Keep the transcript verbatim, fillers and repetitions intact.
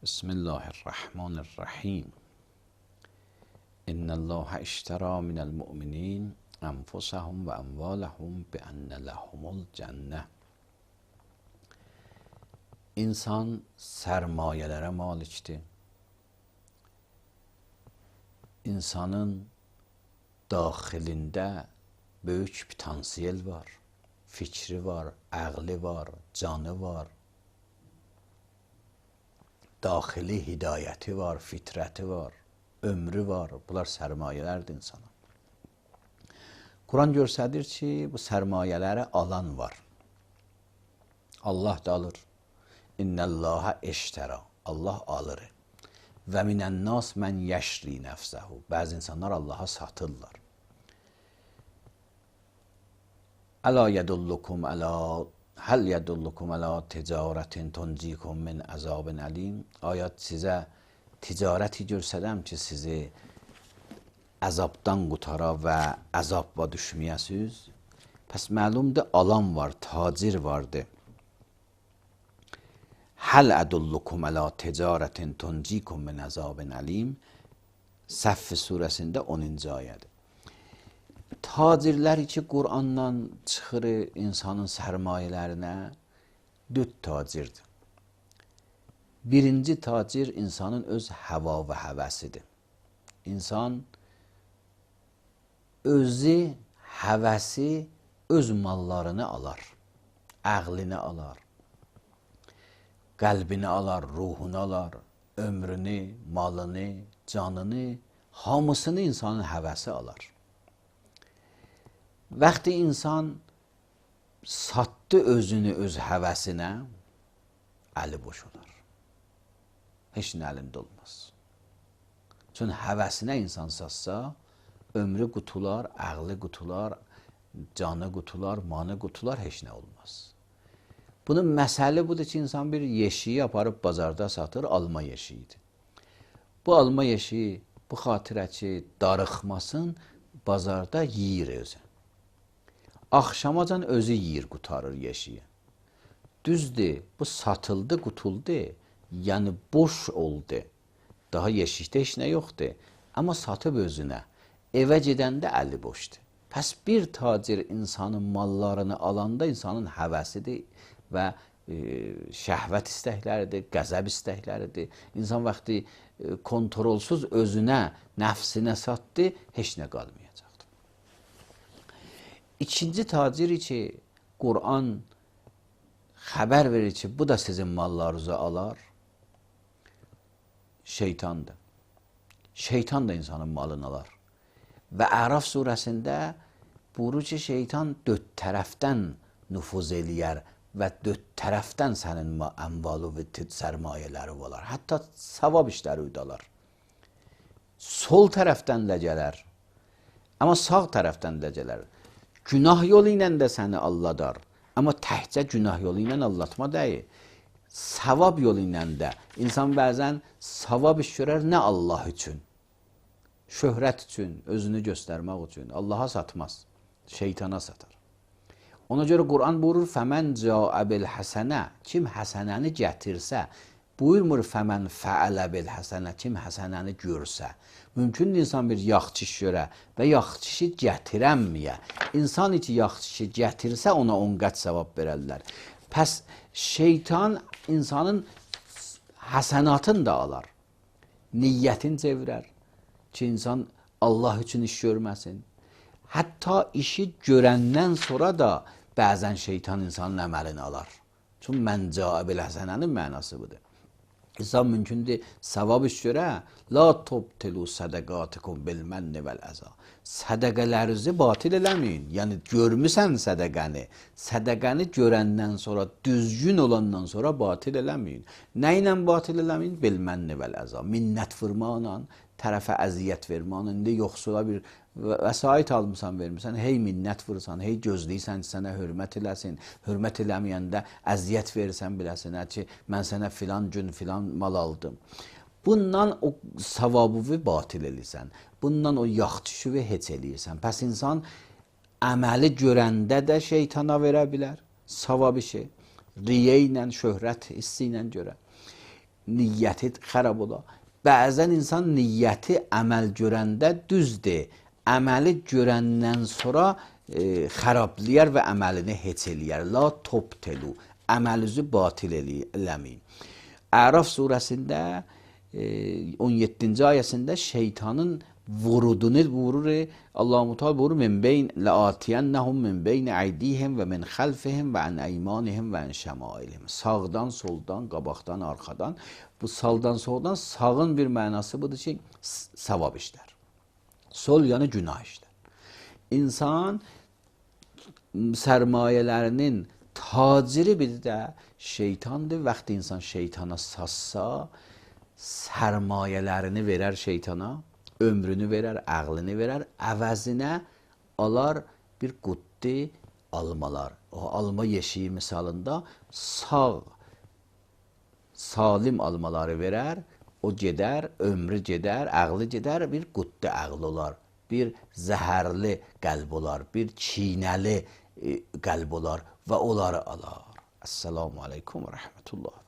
Bismillahirrahmanirrahim. İnnallâhe işterâ minel mu'minîn enfusahum ve emvâlehum bi enne lehumul cenneh. İnsan sermayelere maliktir. İnsanın daxilində böyük potansiyel var. Fikri var, ağlı var, canı var. Daxili hidayəti var, fitrəti var, ömrü var. Bunlar sərmayələrdir insana. Quran göstərir ki, bu sərmayələri alan var. Allah da alır. İnnəllâhe eştərə. Allah alır. Və minənnâs mən yəşri nəfsəhu. Bəzi insanlar Allaha satırlar. Əla yədullukum əla Həl yədullukum ələ ticarətin tuncikum min əzabin əlim. Ayət sizə ticarəti görsədəm ki, sizi əzabdan qutara və əzabla düşməyəsiz. Pəs məlumdur, alan var, tacir vardır. Həl ədullukum ələ ticarətin tuncikum min əzabin əlim. Səff surəsində onuncu ayədir. Tacirlər ki, Qur'andan çıxır insanın sərmayələrinə dörd tacirdir. Birinci tacir insanın öz həva və həvəsidir. İnsan özü, həvəsi öz mallarını alar, əqlini alar, qəlbini alar, ruhunu alar, ömrünü, malını, canını, hamısını insanın həvəsi alar. Vaxtı insan satdı özünü öz həvəsinə, əli boş olar. Heç nə əlində olmaz. Çünki həvəsinə insan satsa, ömrü qutular, əqli qutular, canı qutular, manı qutular, heç nə olmaz. Bunun məsəli budur ki, insan bir yeşiyi aparıb bazarda satır, alma yeşiyidir. Bu alma yeşiyi, bu xatirə ki, darıxmasın, bazarda yiyir özü. Axşamacan özü yiyir, qutarır yeşiyi. Düzdür, bu satıldı, qutuldu, yəni boş oldu. Daha yeşikdə heç nə yoxdur. Amma satıb özünə, evə gedəndə əli boşdur. Pəs bir tacir insanın mallarını alanda insanın həvəsidir və e, şəhvət istəkləridir, qəzəb istəkləridir. İnsan vaxtı e, kontrolsuz özünə, nəfsinə satdı, heç nə qalmayacaq. İkinci tacir ki, Qur'an xəbər verir ki, bu da sizin mallarınızı alar, şeytandır. Şeytan da insanın malını alar. Və Əraf surəsində buyurur ki, şeytan dörd tərəfdən nüfuz eləyər və dörd tərəfdən sənin əmvalı və sərmayələri olar. Hətta savab işləri udalar. Sol tərəfdən də gələr, amma sağ tərəfdən də gələr. Günah yolu ilə də səni alladar. Amma təhcə günah yolu ilə allatma deyil. Savab yolu ilə də. İnsan bəzən savab iş görər, nə Allah üçün? Şöhrət üçün, özünü göstərmək üçün. Allaha satmaz, şeytana satar. Ona görə Qur'an buyurur, fəmən cəə bil həsənə, kim həsənəni gətirsə, buyurmur fəmən fəələ bil həsənə, kim həsənəni görsə. Mümkündür insan bir yaxşı iş görə və yaxşı işi gətirənməyə. İnsan ki, yaxşı işi gətirsə, ona on qat savab verərlər. Pəs şeytan insanın həsənatını da alar. Niyyətini çevirər ki, insan Allah üçün iş görməsin. Hətta işi görəndən sonra da bəzən şeytan insanın əməlini alar. Çünki mən cəə bil həsənənin mənası budur. İnsan mümkündür savab iş görə, la tubtilu sədəqatikum bil mənni vəl əza. Sədəqələrinizi batil eləməyin. Yəni görmüsən sədəqəni. Sədəqəni görəndən sonra, düzgün olandan sonra batil eləməyin. Nə ilə batil eləməyin? Bil mənni vəl əza. Minnət vurmaqla, tərəfə əziyyət vermaqla, indi yoxsula bir vəsait almısan, vermirsən, hey minnət vursan, hey gözləyirsən ki, sənə hörmət eləsin, hörmət eləməyəndə əziyyət verirsən biləsinə ki, mən sənə filan gün filan mal aldım. Bundan o savabı batil eləyirsən, bundan o yaxçışı heç eləyirsən. Pəs insan əməli görəndə də şeytana verə bilər, savab işi, riyə ilə, şöhrət hissi ilə görə. niyyəti xarab olar. Bəzən insan niyyəti əməl görəndə düzdür, əməli görəndən sonra e, xarablayar və əməlini heç eləyər. La tobtelu, əməlinizi batil eləməyin. Əraf surəsində e, on yeddinci ayəsində şeytanın vurudunu vurur. Allah-u Teala buyurur: "Min beyn la'atiyennahum min beyn aydihim və min xalfihim və an eymanihim və an şemailihim." Sağdan, soldan, qabaqdan, arxadan. Bu saldan, soldan, sağın bir mənası budur ki, savab işlər. Sol yəni günah işlər. İnsan sərmayələrinin taciri bir də şeytandır. Vaxtı insan şeytana sassa, sərmayələrini verər şeytana, ömrünü verər, ağlını verər, əvəzinə alar bir quddi almalar. O alma yeşiyi misalında sağ, salim almaları verər, o gedər, ömrü gedər, ağlı gedər, bir quddi ağlı olar, bir zəhərli qəlb olar, bir çiynəli qəlb olar və onları alar. Esselamu aleykum və rəhmətullah.